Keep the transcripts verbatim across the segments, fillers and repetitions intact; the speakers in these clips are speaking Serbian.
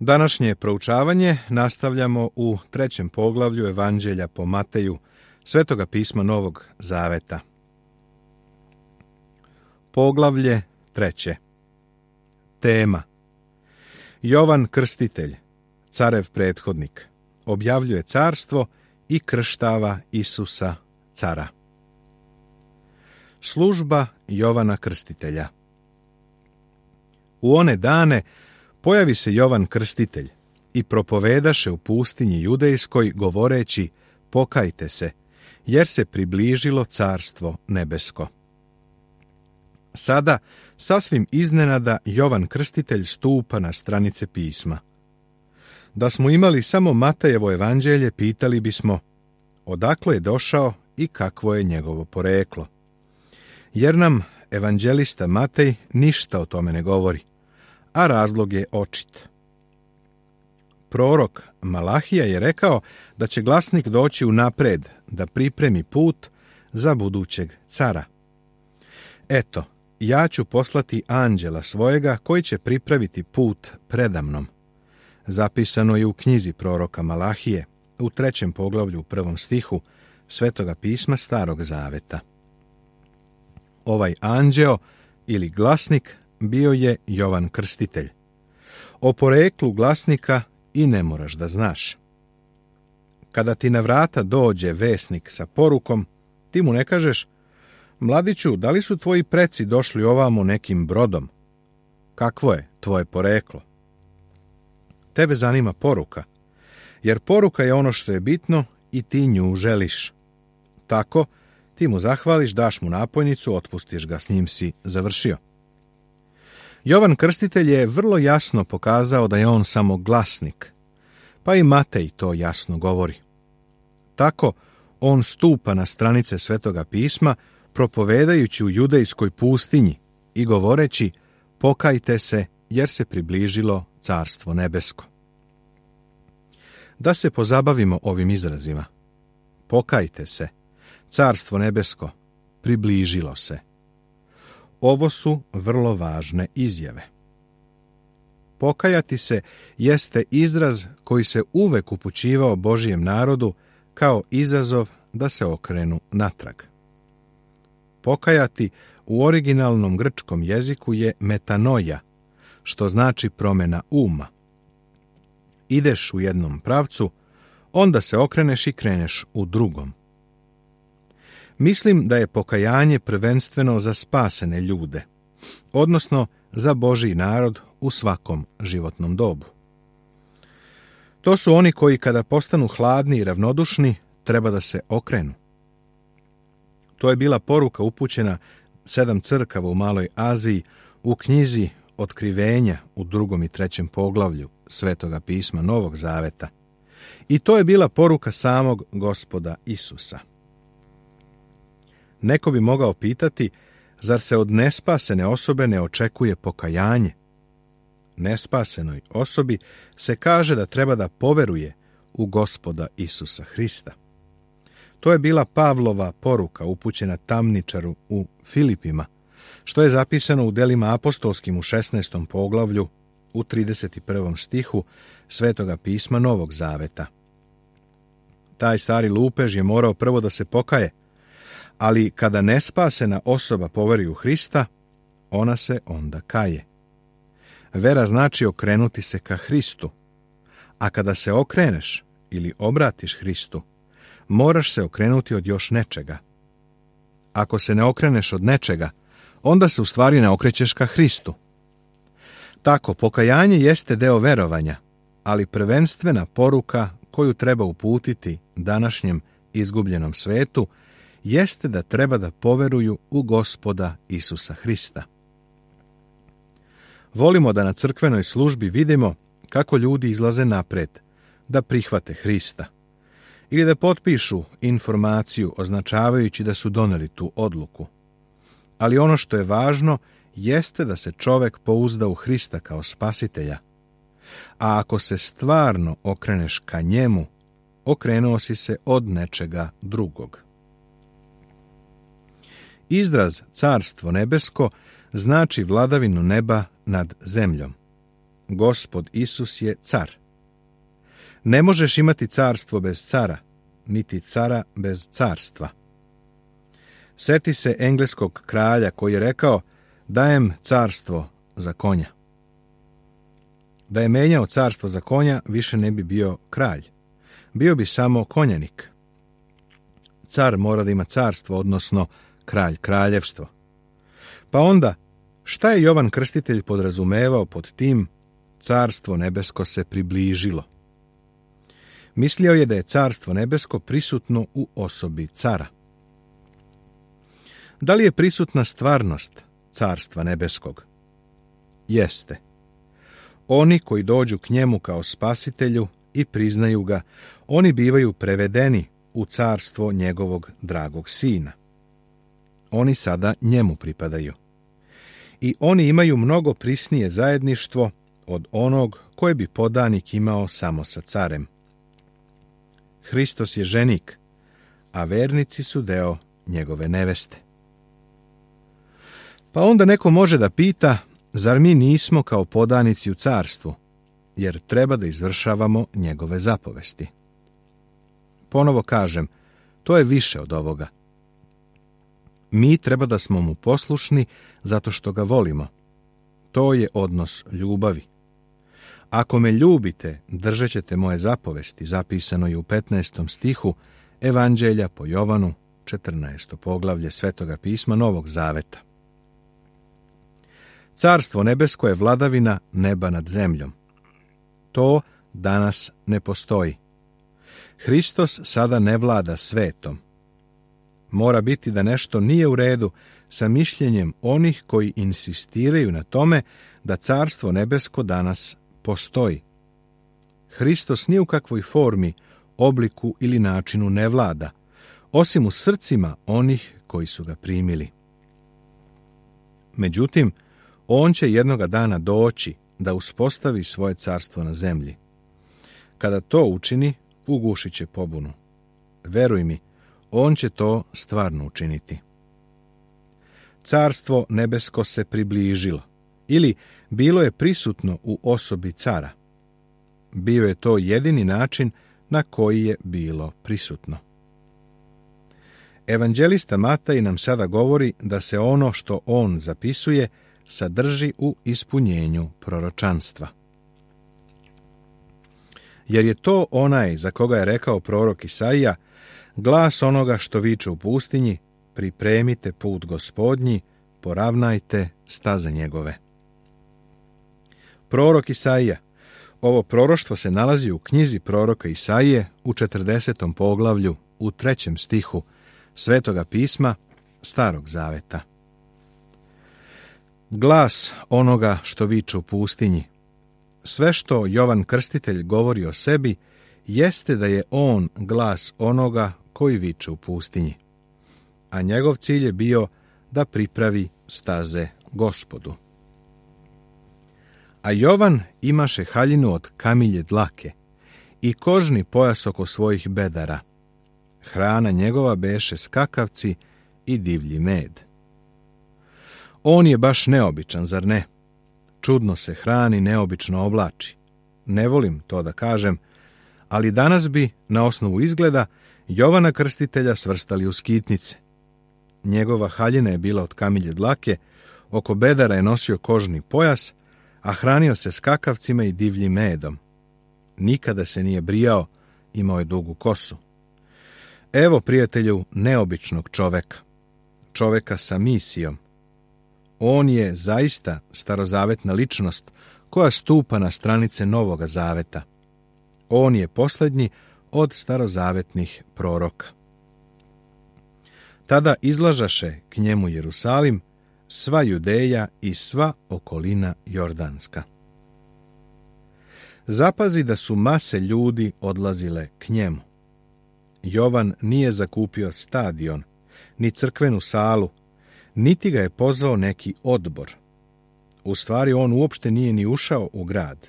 Današnje proučavanje nastavljamo u trećem poglavlju Evanđelja po Mateju, Svetoga pisma Novog Zaveta. Poglavlje treće. Tema: Jovan Krstitelj, carev prethodnik, objavljuje carstvo i krštava Isusa cara. Služba Jovana Krstitelja. U one dane pojavi se Jovan Krstitelj i propovedaše u pustinji judejskoj, govoreći: pokajte se, jer se približilo carstvo nebesko. Sada, sasvim iznenada, Jovan Krstitelj stupa na stranice pisma. Da smo imali samo Matejevo evanđelje, pitali bismo: odakle je došao i kakvo je njegovo poreklo? Jer nam evanđelista Matej ništa o tome ne govori, a razlog je očit. Prorok Malahija je rekao da će glasnik doći unapred da pripremi put za budućeg cara. Eto, ja ću poslati anđela svojega koji će pripraviti put predamnom. Zapisano je u knjizi proroka Malahije, u trećem poglavlju u prvom stihu Svetoga pisma Starog Zaveta. Ovaj anđeo ili glasnik bio je Jovan Krstitelj. O poreklu glasnika i ne moraš da znaš. Kada ti na vrata dođe vesnik sa porukom, ti mu ne kažeš: mladiću, da li su tvoji preci došli ovamo nekim brodom? Kakvo je tvoje poreklo? Tebe zanima poruka, jer poruka je ono što je bitno i ti nju želiš. Tako, ti mu zahvališ, daš mu napojnicu, otpustiš ga, s njim si završio. Jovan Krstitelj je vrlo jasno pokazao da je on samo glasnik, pa i Matej to jasno govori. Tako, on stupa na stranice Svetoga pisma, propovedajući u judejskoj pustinji i govoreći: pokajte se, jer se približilo carstvo nebesko. Da se pozabavimo ovim izrazima. Pokajte se, carstvo nebesko približilo se. Ovo su vrlo važne izjave. Pokajati se jeste izraz koji se uvek upućivao Božjem narodu kao izazov da se okrenu natrag. Pokajati u originalnom grčkom jeziku je metanoja, što znači promjena uma. Ideš u jednom pravcu, onda se okreneš i kreneš u drugom. Mislim da je pokajanje prvenstveno za spasene ljude, odnosno za Božji narod u svakom životnom dobu. To su oni koji kada postanu hladni i ravnodušni, treba da se okrenu. To je bila poruka upućena sedam crkava u Maloj Aziji u knjizi Otkrivenja u drugom i trećem poglavlju Svetoga pisma Novog Zaveta. I to je bila poruka samog Gospoda Isusa. Neko bi mogao pitati: zar se od nespasene osobe ne očekuje pokajanje? Nespasenoj osobi se kaže da treba da poveruje u Gospoda Isusa Hrista. To je bila Pavlova poruka upućena tamničaru u Filipima, što je zapisano u delima apostolskim u šesnaestom poglavlju u trideset prvom stihu Svetoga pisma Novog Zaveta. Taj stari lupež je morao prvo da se pokaje, ali kada nespasena osoba poveri u Hrista, ona se onda kaje. Vera znači okrenuti se ka Hristu, a kada se okreneš ili obratiš Hristu, moraš se okrenuti od još nečega. Ako se ne okreneš od nečega, onda se u stvari ne okrećeš ka Hristu. Tako, pokajanje jeste deo verovanja, ali prvenstvena poruka koju treba uputiti današnjem izgubljenom svetu jeste da treba da poveruju u Gospoda Isusa Hrista. Volimo da na crkvenoj službi vidimo kako ljudi izlaze napred, da prihvate Hrista ili da potpišu informaciju označavajući da su doneli tu odluku. Ali ono što je važno jeste da se čovek pouzda u Hrista kao spasitelja. A ako se stvarno okreneš ka njemu, okrenuo si se od nečega drugog. Izraz carstvo nebesko znači vladavinu neba nad zemljom. Gospod Isus je car. Ne možeš imati carstvo bez cara, niti cara bez carstva. Seti se engleskog kralja koji je rekao: dajem carstvo za konja. Da je menjao carstvo za konja, više ne bi bio kralj. Bio bi samo konjanik. Car mora da ima carstvo, odnosno kralj kraljevstvo. Pa onda, šta je Jovan Krstitelj podrazumevao pod tim carstvo nebesko se približilo? Mislio je da je carstvo nebesko prisutno u osobi cara. Da li je prisutna stvarnost carstva nebeskog? Jeste. Oni koji dođu k njemu kao spasitelju i priznaju ga, oni bivaju prevedeni u carstvo njegovog dragog sina. Oni sada njemu pripadaju. I oni imaju mnogo prisnije zajedništvo od onog koje bi podanik imao samo sa carem. Hristos je ženik, a vernici su deo njegove neveste. Pa onda neko može da pita, zar mi nismo kao podanici u carstvu, jer treba da izvršavamo njegove zapovesti? Ponovo kažem, to je više od ovoga. Mi treba da smo mu poslušni zato što ga volimo. To je odnos ljubavi. Ako me ljubite, držat ćete moje zapovesti, zapisano je u petnaestom stihu Evanđelja po Jovanu, četrnaesto poglavlje Svetoga pisma Novog Zaveta. Carstvo nebesko je vladavina neba nad zemljom. To danas ne postoji. Hristos sada ne vlada svetom. Mora biti da nešto nije u redu sa mišljenjem onih koji insistiraju na tome da carstvo nebesko danas postoji. Hristos ni u kakvoj formi, obliku ili načinu ne vlada, osim u srcima onih koji su ga primili. Međutim, on će jednoga dana doći da uspostavi svoje carstvo na zemlji. Kada to učini, ugušit će pobunu. Veruj mi, on će to stvarno učiniti. Carstvo nebesko se približilo, ili bilo je prisutno u osobi cara. Bio je to jedini način na koji je bilo prisutno. Evanđelista Mataj nam sada govori da se ono što on zapisuje sadrži u ispunjenju proročanstva. Jer je to onaj za koga je rekao prorok Isaija: glas onoga što viče u pustinji, pripremite put Gospodnji, poravnajte staze njegove. Prorok Isaija. Ovo proroštvo se nalazi u knjizi proroka Isaije u četrdesetom poglavlju u trećem stihu Svetoga pisma Starog Zaveta. Glas onoga što viče u pustinji. Sve što Jovan Krstitelj govori o sebi jeste da je on glas onoga koji viče u pustinji, a njegov cilj je bio da pripravi staze Gospodu. A Jovan imaše haljinu od kamilje dlake i kožni pojas oko svojih bedara. Hrana njegova beše skakavci i divlji med. On je baš neobičan, zar ne? Čudno se hrani, neobično oblači. Ne volim to da kažem, ali danas bi, na osnovu izgleda, Jovana Krstitelja svrstali u skitnice. Njegova haljina je bila od kamilje dlake, oko bedara je nosio kožni pojas, a hranio se skakavcima i divljim medom. Nikada se nije brijao, imao je dugu kosu. Evo, prijatelju, neobičnog čoveka. Čoveka sa misijom. On je zaista starozavetna ličnost koja stupa na stranice Novoga Zaveta. On je posljednji od starozavetnih proroka. Tada izlažaše k njemu Jerusalim, sva Judeja i sva okolina Jordanska. Zapazi da su mase ljudi odlazile k njemu. Jovan nije zakupio stadion, ni crkvenu salu, niti ga je pozvao neki odbor. U stvari, on uopšte nije ni ušao u grad.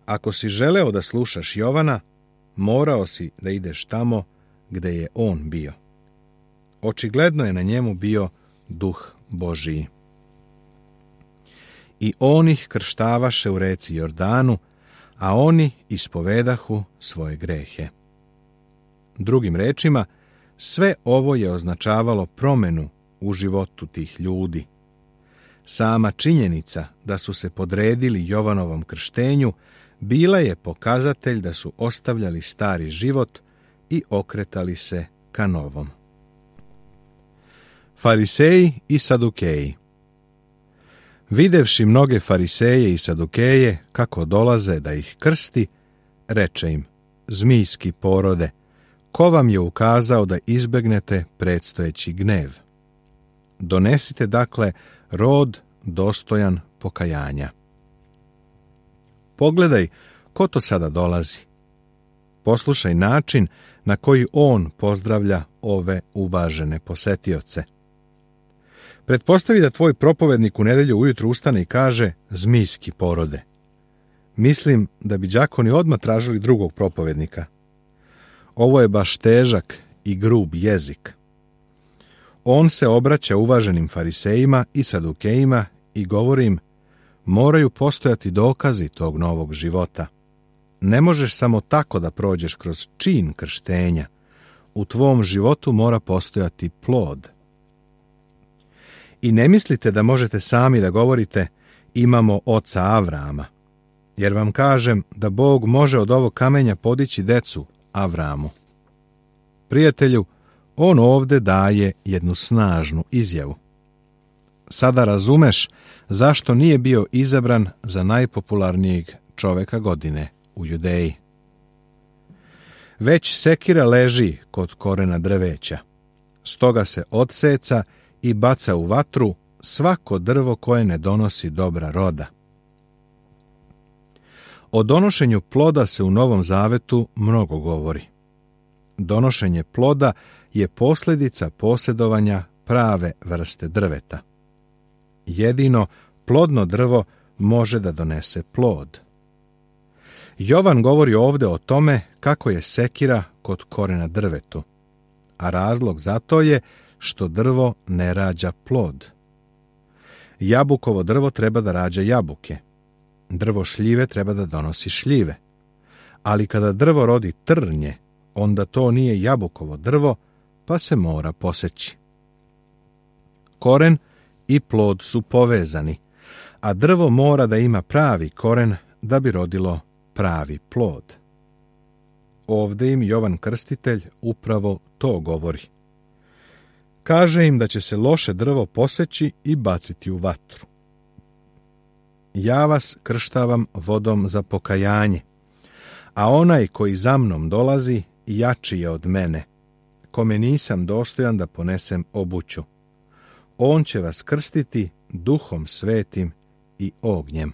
Ako si želeo da slušaš Jovana, morao si da ideš tamo gde je on bio. Očigledno je na njemu bio duh Božiji. i on ih krštavaše u reci Jordanu, a oni ispovedahu svoje grehe. Drugim rečima, sve ovo je označavalo promjenu u životu tih ljudi. Sama činjenica da su se podredili Jovanovom krštenju bila je pokazatelj da su ostavljali stari život i okretali se ka novom. Fariseji i Sadukeji. Videvši mnoge fariseje i Sadukeje kako dolaze da ih krsti, reče im: zmijski porode, ko vam je ukazao da izbegnete predstojeći gnev? Donesite dakle rod dostojan pokajanja. Pogledaj ko to sada dolazi. Poslušaj način na koji on pozdravlja ove uvažene posetioce. Pretpostavi da tvoj propovednik u nedjelju ujutru ustane i kaže: zmijski porode. Mislim da bi đakoni odmah tražili drugog propovednika. Ovo je baš težak i grub jezik. On se obraća uvaženim farisejima i sadukejima i govori im: moraju postojati dokazi tog novog života. Ne možeš samo tako da prođeš kroz čin krštenja. U tvom životu mora postojati plod. I ne mislite da možete sami da govorite: imamo oca Avrama, jer vam kažem da Bog može od ovog kamenja podići decu Avramu. Prijatelju, on ovde daje jednu snažnu izjavu. Sada razumeš zašto nije bio izabran za najpopularnijeg čoveka godine u Judeji. Već sekira leži kod korena drveća, stoga se odseca i baca u vatru svako drvo koje ne donosi dobra roda. O donošenju ploda se u Novom Zavetu mnogo govori. Donošenje ploda je posljedica posjedovanja prave vrste drveta. Jedino plodno drvo može da donese plod. Jovan govori ovdje o tome kako je sekira kod korena drvetu, a razlog za to je što drvo ne rađa plod. Jabukovo drvo treba da rađa jabuke. Drvo šljive treba da donosi šljive. Ali kada drvo rodi trnje, onda to nije jabukovo drvo, pa se mora poseći. Koren i plod su povezani, a drvo mora da ima pravi koren da bi rodilo pravi plod. Ovdje im Jovan Krstitelj upravo to govori. Kaže im da će se loše drvo poseći i baciti u vatru. Ja vas krštavam vodom za pokajanje, a onaj koji za mnom dolazi jači je od mene, kome nisam dostojan da ponesem obuću. On će vas krstiti Duhom Svetim i ognjem.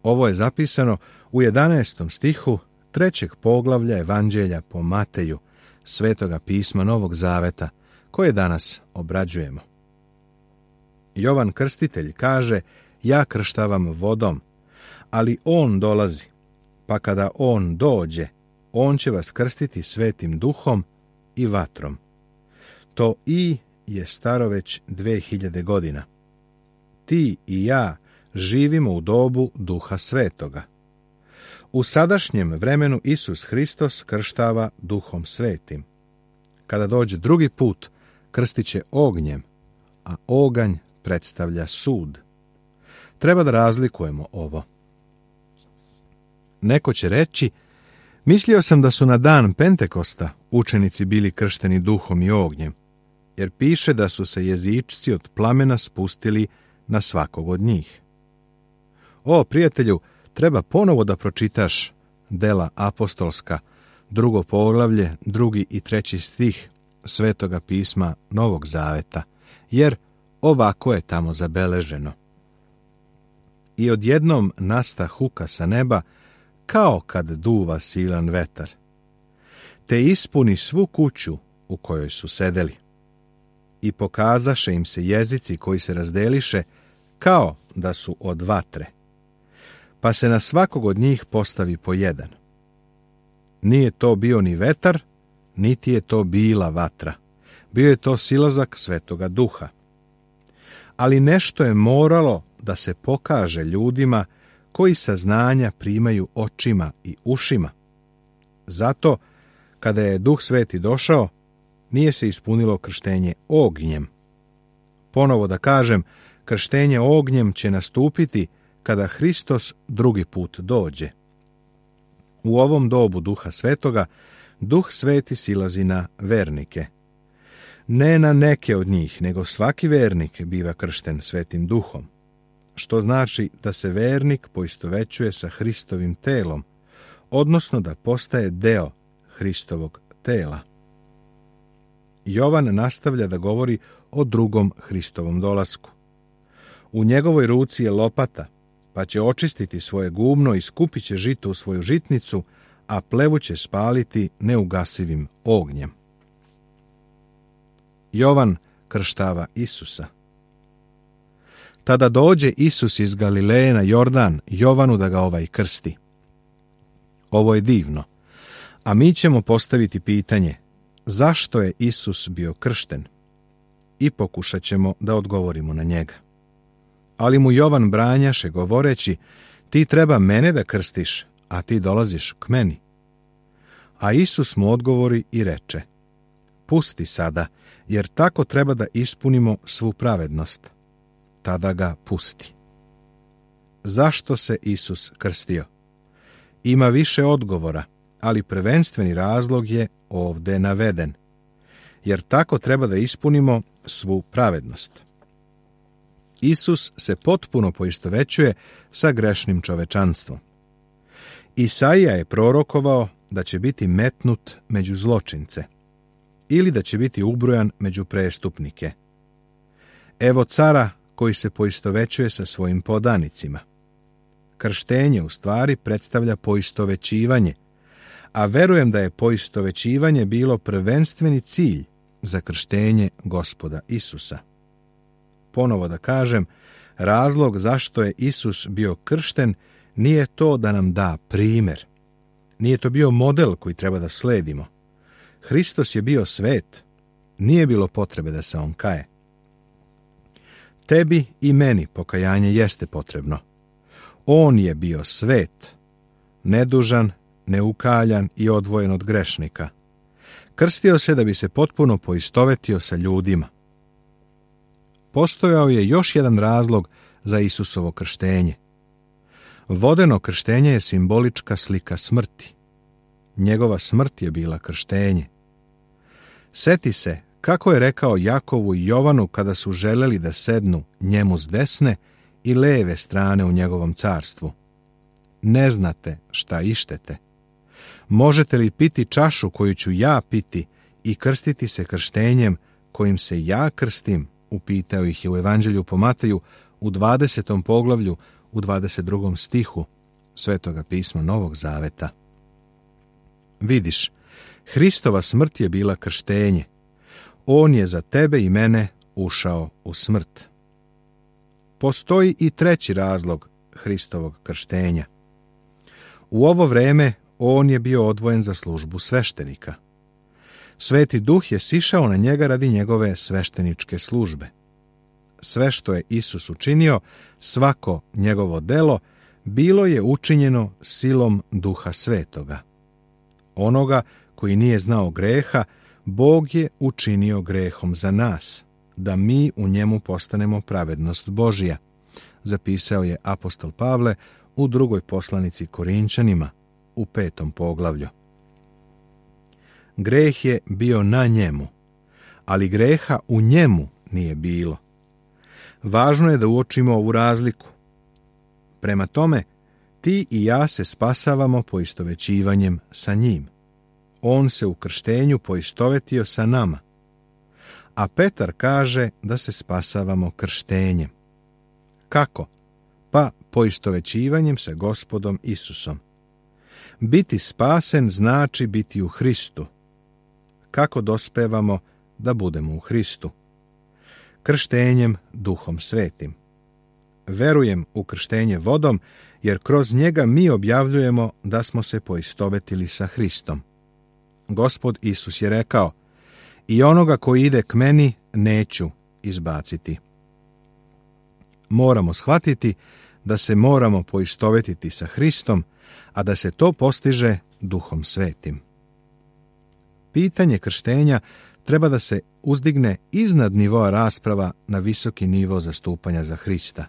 Ovo je zapisano u jedanaestom stihu trećeg poglavlja Evanđelja po Mateju, Svetoga pisma Novog Zaveta, koje danas obrađujemo. Jovan Krstitelj kaže: ja krštavam vodom, ali on dolazi, pa kada on dođe, on će vas krstiti Svetim Duhom i vatrom. To i je staro već dve hiljade godina. Ti i ja živimo u dobu Duha Svetoga. U sadašnjem vremenu Isus Hristos krštava Duhom Svetim. Kada dođe drugi put, krstit će ognjem, a oganj predstavlja sud. Treba da razlikujemo ovo. Neko će reći: mislio sam da su na dan Pentekosta učenici bili kršteni duhom i ognjem, jer piše da su se jezičci od plamena spustili na svakog od njih. O, prijatelju, treba ponovo da pročitaš Dela apostolska, drugo poglavlje, drugi i treći stih Svetoga pisma Novog Zaveta, jer ovako je tamo zabeleženo. I odjednom nasta huka sa neba, kao kad duva silan vetar, te ispuni svu kuću u kojoj su sedeli. I pokazaše im se jezici koji se razdeliše, kao da su od vatre, pa se na svakog od njih postavi po jedan. Nije to bio ni vetar, niti je to bila vatra. Bio je to silazak Svetoga Duha. ali nešto je moralo da se pokaže ljudima koji saznanja primaju očima i ušima. Zato, kada je Duh Sveti došao, nije se ispunilo krštenje ognjem. Ponovo da kažem, krštenje ognjem će nastupiti kada Hristos drugi put dođe. U ovom dobu Duha Svetoga, Duh Sveti silazi na vernike. Ne na neke od njih, nego svaki vernik biva kršten Svetim Duhom, što znači da se vernik poistovećuje sa Hristovim telom, odnosno da postaje deo Hristovog tela. Jovan nastavlja da govori o drugom Hristovom dolasku. U njegovoj ruci je lopata, pa će očistiti svoje gumno i skupit će žito u svoju žitnicu, a plevu će spaliti neugasivim ognjem. Jovan krštava Isusa. Tada dođe Isus iz Galileje na Jordan Jovanu da ga ovaj krsti. Ovo je divno, a mi ćemo postaviti pitanje zašto je Isus bio kršten i pokušat ćemo da odgovorimo na njega. Ali mu Jovan branjaše govoreći, ti treba mene da krstiš, a ti dolaziš k meni. A Isus mu odgovori i reče, pusti sada, jer tako treba da ispunimo svu pravednost. Tada ga pusti. Zašto se Isus krstio? Ima više odgovora, ali prvenstveni razlog je ovde naveden, jer tako treba da ispunimo svu pravednost. Isus se potpuno poistovećuje sa grešnim čovečanstvom. Isaija je prorokovao da će biti metnut među zločince ili da će biti ubrojan među prestupnike. Evo cara koji se poistovećuje sa svojim podanicima. Krštenje u stvari predstavlja poistovećivanje, a verujem da je poistovećivanje bilo prvenstveni cilj za krštenje Gospoda Isusa. Ponovo da kažem, razlog zašto je Isus bio kršten nije to da nam da primer. Nije to bio model koji treba da sledimo. Hristos je bio svet, nije bilo potrebe da se on kaje. Tebi i meni pokajanje jeste potrebno. On je bio svet, nedužan, neukaljan i odvojen od grešnika. Krstio se da bi se potpuno poistovetio sa ljudima. Postojao je još jedan razlog za Isusovo krštenje. Vodeno krštenje je simbolička slika smrti. Njegova smrt je bila krštenje. Seti se kako je rekao Jakovu i Jovanu kada su želeli da sednu njemu s desne i leve strane u njegovom carstvu. Ne znate šta ištete. Možete li piti čašu koju ću ja piti i krstiti se krštenjem kojim se ja krstim? Upitao ih je u Evanđelju po Mateju u dvadesetom poglavlju u dvadeset drugom stihu Svetoga pisma Novog Zaveta. Vidiš, Hristova smrt je bila krštenje. On je za tebe i mene ušao u smrt. Postoji i treći razlog Hristovog krštenja. U ovo vreme on je bio odvojen za službu sveštenika. Sveti Duh je sišao na njega radi njegove svešteničke službe. Sve što je Isus učinio, svako njegovo delo, bilo je učinjeno silom Duha Svetoga. Onoga koji nije znao greha, Bog je učinio grehom za nas, da mi u njemu postanemo pravednost Božija, zapisao je apostol Pavle u drugoj poslanici Korinčanima, u petom poglavlju. Greh je bio na njemu, ali greha u njemu nije bilo. Važno je da uočimo ovu razliku. Prema tome, ti i ja se spasavamo poistovećivanjem sa njim. On se u krštenju poistovetio sa nama. A Petar kaže da se spasavamo krštenjem. Kako? Pa poistovećivanjem sa Gospodom Isusom. Biti spasen znači biti u Hristu. Kako dospevamo da budemo u Hristu? Krštenjem Duhom Svetim. Verujem u krštenje vodom, jer kroz njega mi objavljujemo da smo se poistovetili sa Hristom. Gospod Isus je rekao, i onoga koji ide k meni neću izbaciti. moramo shvatiti da se moramo poistovetiti sa Hristom, a da se to postiže Duhom Svetim. Pitanje krštenja treba da se uzdigne iznad nivoa rasprava na visoki nivo zastupanja za Hrista.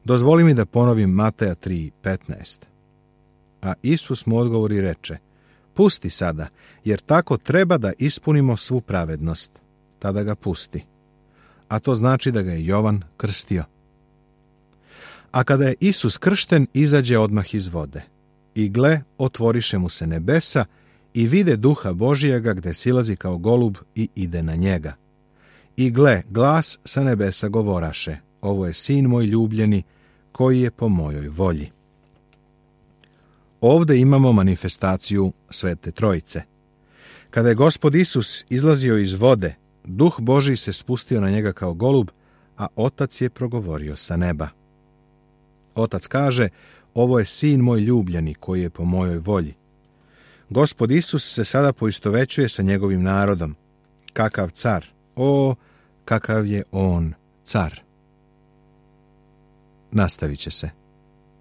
Dozvoli mi da ponovim Mateja tri petnaest. A Isus mu odgovori i reče: pusti sada, jer tako treba da ispunimo svu pravednost. Tada ga pusti. A to znači da ga je Jovan krstio. A kada je Isus kršten, izađe odmah iz vode. I gle, otvoriše mu se nebesa i vide Duha Božijega gde silazi kao golub i ide na njega. I gle, glas sa nebesa govoraše: ovo je sin moj ljubljeni, koji je po mojoj volji. Ovde imamo manifestaciju Svete Trojice. Kada je Gospod Isus izlazio iz vode, Duh Božji se spustio na njega kao golub, a Otac je progovorio sa neba. Otac kaže: ovo je sin moj ljubljeni, koji je po mojoj volji. Gospod Isus se sada poistovećuje sa njegovim narodom. Kakav car! O, kakav je on car! Nastavit će se.